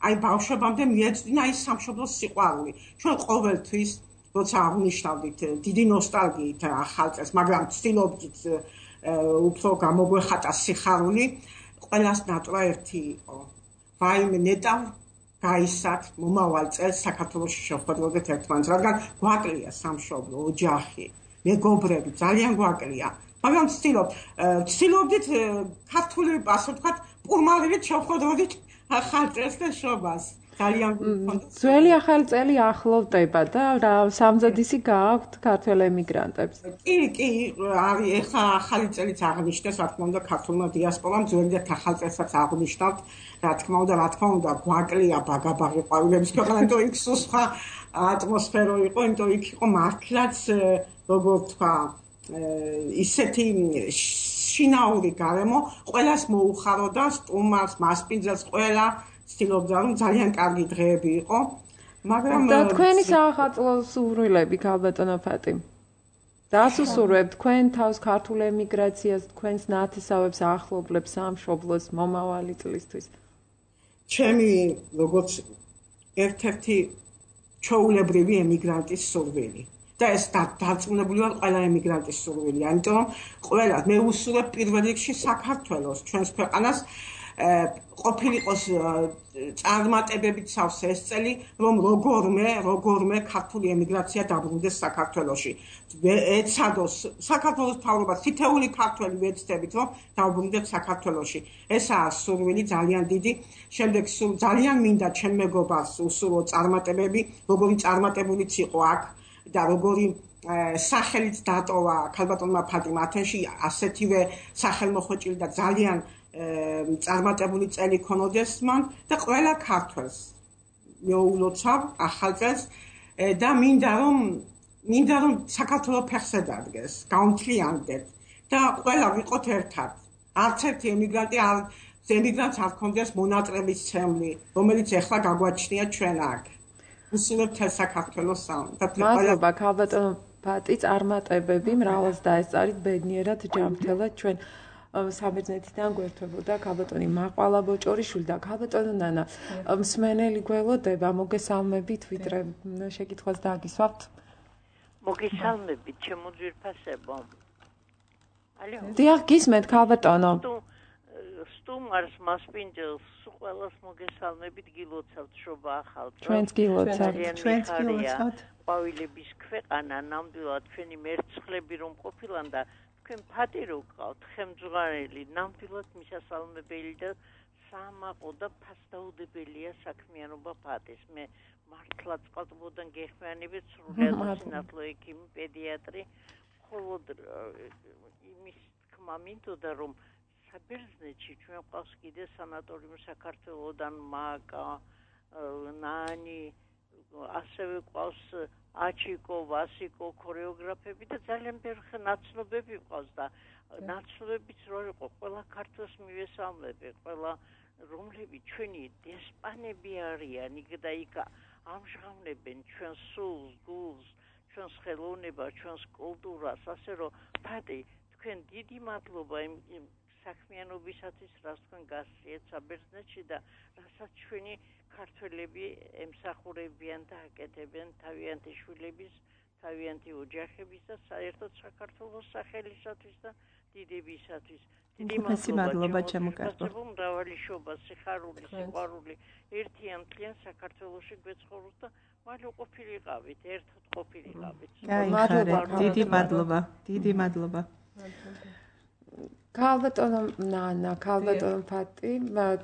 S6: აი ბავშვებამდე მიეწვდინა ის სამშობლოს სიყვარული ჩვენ ყოველთვის როცა აღნიშნავდით დიდი ნოსტალგიით ახალ წელს მაგრამ ცდილობდით უფრო გამოგვეხატა სიხარული ყველას ნატრა ერთი იყო ვაიმე ნეტავ გაისად მომავალ წელს საქართველოში შევხვდროდეთ ერთმანეთს რადგან გვაკლია სამშობლო ოჯახი მეგობრები ძალიან გვაკლია მაგრამ ცდილობ ცდილობდით ქართული ასე ვთქვათ პურმალივით შევხვდროდით ახალ წელს და შობას ძალიან
S2: ძველი ახალი წელი ახლოვდება და რა სამზადისი გააქვთ ქართველ ემიგრანტებს.
S6: კი, კი, არის ეხა ახალი წელიც აღნიშნეს, რა თქმა უნდა, ქართულმა დიასპორამ ძველი და ახალ წელსაც აღნიშნავთ, რა თქმა უნდა, რა თქმა უნდა, გვაკლია ბაგაბაღი ყვავილების ქვეყანა, იმიტომ იქ სხვა ატმოსფერო იყო, იმიტომ იქ იყო მართლაც როგორ თქვა, ისეთი შინაური გარემო, ყველას მოუხაროდა, სტუმარს, მასპინძელს, ყველა ცდილობდა რომ ძალიან კარგი დღეები იყო, მაგრამ
S2: და თქვენი საახალწლო სურვილები ქალბატონო ფატი. რას უსურვებთ თქვენ თავს ქართულ ემიგრაციას, თქვენს ნათესავებს, ახლობლებს, სამშობლოს მომავალი წლისთვის?
S6: ჩემი როგორც ერთ-ერთი ჩვეულებრივი ემიგრანტის სურვილი. და ეს დარწმუნებული ვარ ყველა ემიგრანტის სურვილია, იმიტომ რომ ყველა მე უსურვებ პირველ რიგში საქართველოს, ჩვენს ქვეყანას ყოფილიყოს წარმატებებით სავსე ეს წელი, რომ როგორმე, როგორმე ქართული ემიგრაცია დაბრუნდეს საქართველოში. ეცადოს საქართველოს მთავრობას თითეული ქართველი ვეცდებით, რომ დაბრუნდეთ საქართველოში. ესაა სურვილი ძალიან დიდი. შემდეგ ძალიან მინდა ჩემ მეგობარს უსურვო წარმატებები, როგორი წარმატებულიც იყო აქ და როგორი სახელით დატოვა ქალბატონმა ფატიმ ათენში, ასეთივე სახელმოხვეჭილი და ძალიან წარმატებული წელი ქონოდეს მან და ყველა ქართველს მეულოცავ ახალ წელს და მინდა რომ მინდა რომ საქართველოს ფეხზე დადგეს, გაუნთლიანდეთ და ყველა ვიყოთ ერთად. არც ერთი ემიგრანტი არ ემიგრანტს არ ქონდეს მონატრების ცემლი, რომელიც ეხლა გაგვაჩნია ჩვენ აქ. უსურვებთ საქართველოს და
S2: მადლობა ქალბატონო ფატი, წარმატებები, მრავალს დაესწარით ბედნიერად ჯანმრთელად ჩვენ საბერძნეთიდან გვერდებოდა ქალბატონი მაყვალა ბოჭორიშვილი და ქალბატონო ნანა მსმენელი გველოდება მოგესალმებით ვიდრე შეკითხვას დააგისვავთ
S7: მოგესალმებით ჩემო ძვირფასებო ალო
S2: დიახ გისმენთ ქალბატონო
S7: სტუმარს მასპინძელს ყველას მოგესალმებით გილოცავთ შობა ახალ წელს
S2: ჩვენც გილოცავთ
S3: ჩვენც გილოცავთ
S7: ყვავილების ქვეყანა ნამდვილად ჩვენი მერცხლები რომ ყოფილან და თქვენ ფატი რო გყავთ ხემძღვანელი ნამდვილად მისასალმებელი და სამაყო და ფასდაუდებელია საქმიანობა ფატის მე მართლა წყალბოდან გეხმიანებით სრულად სინათლო ექიმი პედიატრი მხოლოდ იმის თქმა მინდოდა რომ საბერძნეთში ჩვენ ყავს კიდე სანატორიუმ საქართველოდან მაკა ნანი ასევე ყავს აჩიკო, ვასიკო, ქორეოგრაფები და ძალიან ბევრი ნაცნობები ყავს და ნაცნობებიც რო იყო, ყველა ქართოს მივესალმები, ყველა რომლები ჩვენი დესპანები არიან, იქ და იქ ამჟღავნებენ ჩვენს სულს, გულს, ჩვენს ხელოვნებას, ჩვენს კულტურას, ასე რომ ფატი, თქვენ დიდი მადლობა იმ საქმიანობისათვის, რაც თქვენ გასწიეთ საბერძნეთში და რასაც ჩვენი ქართველები ემსახურებიან და აკეთებენ თავიანთი შვილების, თავიანთი ოჯახების და საერთოდ საქართველოს სახელისათვის და დიდებისათვის. დიდი
S3: მადლობა ჩემო კარგო.
S7: მრავალი შობა, სიხარული, სიყვარული ერთიანთლიან საქართველოში გვეცხოვროთ და მალე ყოფილიყავით, ერთად ყოფილიყავით.
S3: მადლობა, დიდი მადლობა, დიდი მადლობა.
S2: ქალბატონო ნანა, ქალბატონო ფატი,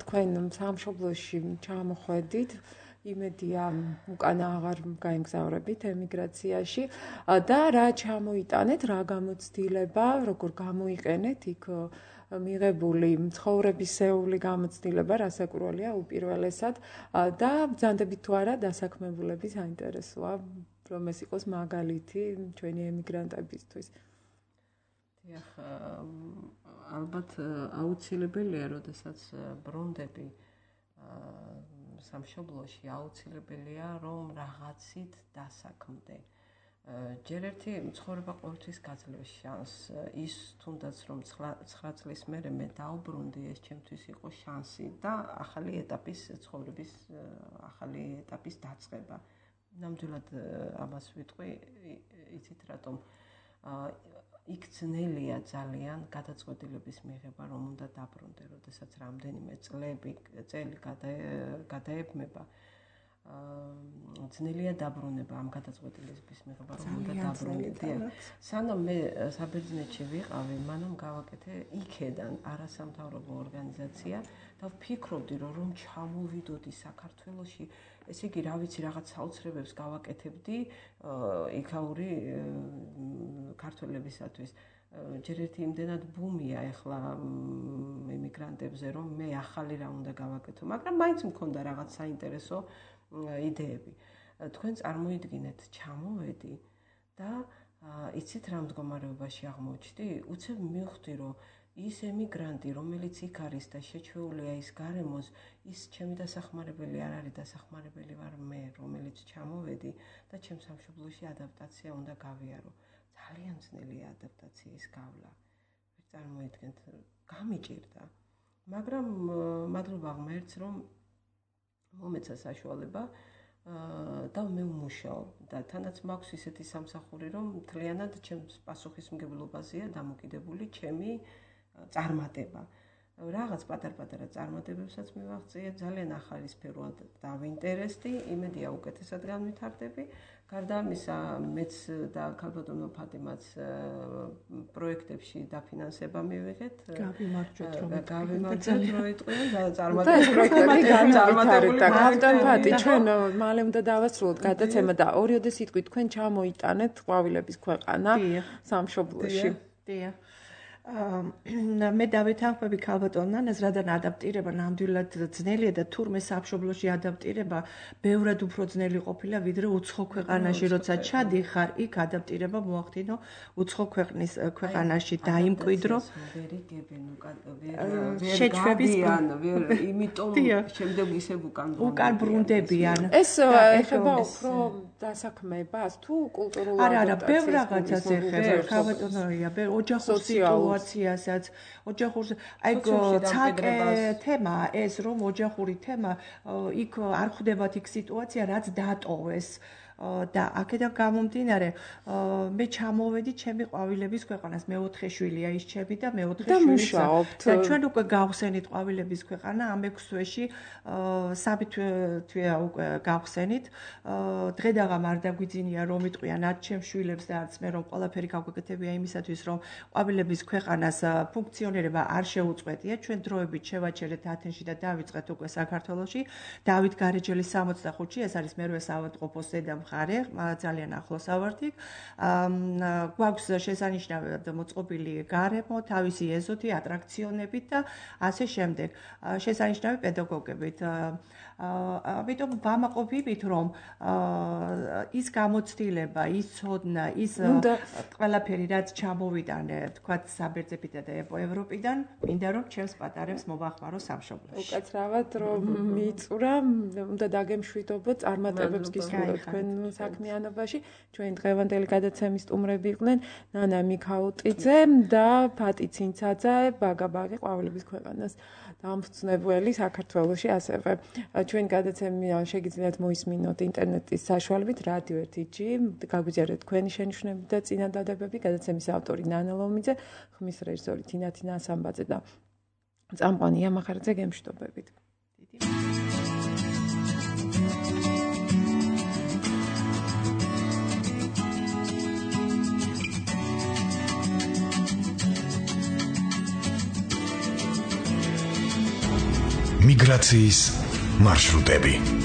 S2: თქვენ სამშობლოში ჩამოხვედით, იმედია უკანა აღარ გაემგზავრებით ემიგრაციაში და რა ჩამოიტანეთ, რა გამოცდილება, როგორ გამოიყენეთ იქ მიღებული ცხოვრებისეული გამოცდილება რასაკურველია უპირველესად და ბრძანდებით თუ არა დასაქმებულების საინტერესოა რომ ეს იყოს მაგალითი ჩვენი ემიგრანტებისთვის.
S5: დიახ, ალბათ აუცილებელია, როდესაც ბრუნდები სამშობლოში, აუცილებელია რომ რაღაცით დასაქმდე. ჯერ ერთი ცხოვრება ყოველთვის გაძლევს შანსს. ის თუნდაც რომ ცხრა წლის მერე მე დაუბრუნდი, ეს ჩემთვის იყო შანსი და ახალი ეტაპის ცხოვრების ახალი ეტაპის დაწყება. ნამდვილად ამას ვიტყვი, იცით რატომ იქ ძნელია ძალიან გადაწყვეტილების მიღება, რომ უნდა დაბრუნდე, როდესაც რამდენიმე წლები, წელი გადაებმება. ძნელია დაბრუნება ამ გადაწყვეტილების მიღება, რომ უნდა დაბრუნდე. სანამ მე საბერძნეთში ვიყავი, მანამ გავაკეთე იქედან არასამთავრობო ორგანიზაცია და ვფიქრობდი, რომ რომ ჩამოვიდოდი საქართველოში, ესე იგი, რა ვიცი, რაღაც საოცრებებს გავაკეთებდი იქაური ქართველებისათვის. ჯერ ერთი იმდენად ბუმია ახლა ემიგრანტებზე, რომ მე ახალი რა უნდა გავაკეთო, მაგრამ მაინც მქონდა რაღაც საინტერესო იდეები. თქვენ წარმოიდგინეთ, ჩამოვედი და იცით რა მდგომარეობაში აღმოჩნდი? უცებ მივხვდი, რომ ის ემიგრანტი, რომელიც იქ არის და შეჩვეულია ის გარემოს, ის ჩემი დასახმარებელი არ არის, დასახმარებელი ვარ მე, რომელიც ჩამოვედი და ჩემ სამშობლოში ადაპტაცია უნდა გავიარო. ძალიან ძნელია ადაპტაციის გავლა. ვერ წარმოიდგენთ, გამიჭირდა. მაგრამ მადლობა ღმერთს, რომ მომეცა საშუალება და მე ვმუშაობ და თანაც მაქვს ისეთი სამსახური, რომ მთლიანად ჩემს პასუხისმგებლობაზეა დამოკიდებული ჩემი წარმატება. რაღაც პატარ-პატარა წარმატებებსაც მივაღწია, ძალიან ახალი სფეროა დავინტერესდი, იმედია უკეთესად განვითარდები. გარდა ამისა, მეც და ქალბატონო ფატიმაც პროექტებში დაფინანსება მივიღეთ.
S3: გავიმარჯვეთ, რომ
S5: გავიმარჯვეთ, რომ იტყვიან წარმატებული
S2: წარმატებული. ქალბატონ ფატი, ჩვენ მალე უნდა დავასრულოთ გადაცემა და ორიოდე სიტყვით თქვენ ჩამოიტანეთ ყვავილების ქვეყანა სამშობლოში.
S3: დიახ. მე დავეთანხმები ქალბატონ ნანას, რადგან ადაპტირება ნამდვილად ძნელია და თურმე სამშობლოში ადაპტირება ბევრად უფრო ძნელი ყოფილა, ვიდრე უცხო ქვეყანაში, როცა ჩადიხარ, იქ ადაპტირება მოახდინო უცხო ქვეყნის ქვეყანაში დაიმკვიდრო.
S5: შეჩვევიან, იმიტომ შემდეგ ისევ უკან
S3: უკან ბრუნდებიან.
S2: ეს ეხება უფრო დასაქმებას თუ კულტურულ ადაპტაციას?
S3: არა, არა, ბევრ რაღაცას ეხება, ქალბატონია, ოჯახურ სიტუაციასაც, ოჯახურ, აი ცალკე თემა ეს, რომ ოჯახური თემა, იქ არ ხვდებათ იქ სიტუაცია, რაც დატოვეს. და აქედან გამომდინარე, მე ჩამოვედი ჩემი ყვავილების ქვეყანას, მეოთხე შვილია ის ჩემი და მეოთხე შვილი. და ჩვენ უკვე გავხსენით ყვავილების ქვეყანა, ამ ექვს თვეში სამი თვეა უკვე გავხსენით. დღე და ღამ არ დაგვიძინია რომ იტყვიან არც ჩემ შვილებს და არც მე, რომ ყველაფერი გავგეკეთებია იმისათვის, რომ ყვავილების ქვეყანას ფუნქციონირება არ შეუწყვეტია. ჩვენ დროებით შევაჩერეთ ათენში და დავიწყეთ უკვე საქართველოში. დავით გარეჯელის სამოცდახუთში, ეს არის მერვე საავადმყოფოს ზედა მხარე, ძალიან ახლოს ავართ იქ. გვაქვს შესანიშნავად მოწყობილი გარემო, თავისი ეზოთი, ატრაქციონებით და ასე შემდეგ. შესანიშნავი პედაგოგებით. ამიტომ ვამაყობებით, რომ ის გამოცდილება, ის ცოდნა, ის ყველაფერი, რაც ჩამოვიტანე, თქვათ საბერძნეთიდან და ევროპიდან, მინდა რომ ჩემს პატარებს მოვახმარო სამშობლოში.
S2: უკაცრავად რომ მიწურა, უნდა დაგემშვიდობოთ წარმატებებს გისურვებთ თქვენ საქმიანობაში. ჩვენ დღევანდელი გადაცემის სტუმრები იყვნენ ნანა მიქაუტიძე და ფატი ცინცაძე, ბაგაბაღი ყვავილების ქვეყანას დამფუძნებელი საქართველოში ასევე. ჩვენ გადაცემა შეგიძლიათ მოისმინოთ ინტერნეტის საშუალებით რადიო ერთი ჯი, გაგვიძიარეთ თქვენი შენიშვნები და წინადადებები. გადაცემის ავტორი ნანა ლომიძე, ხმის რეჟისორი თინათი ნასამბაძე და წამყვანი იამახარაძე, გემშვიდობებით.
S1: მიგრაციის მარშრუტები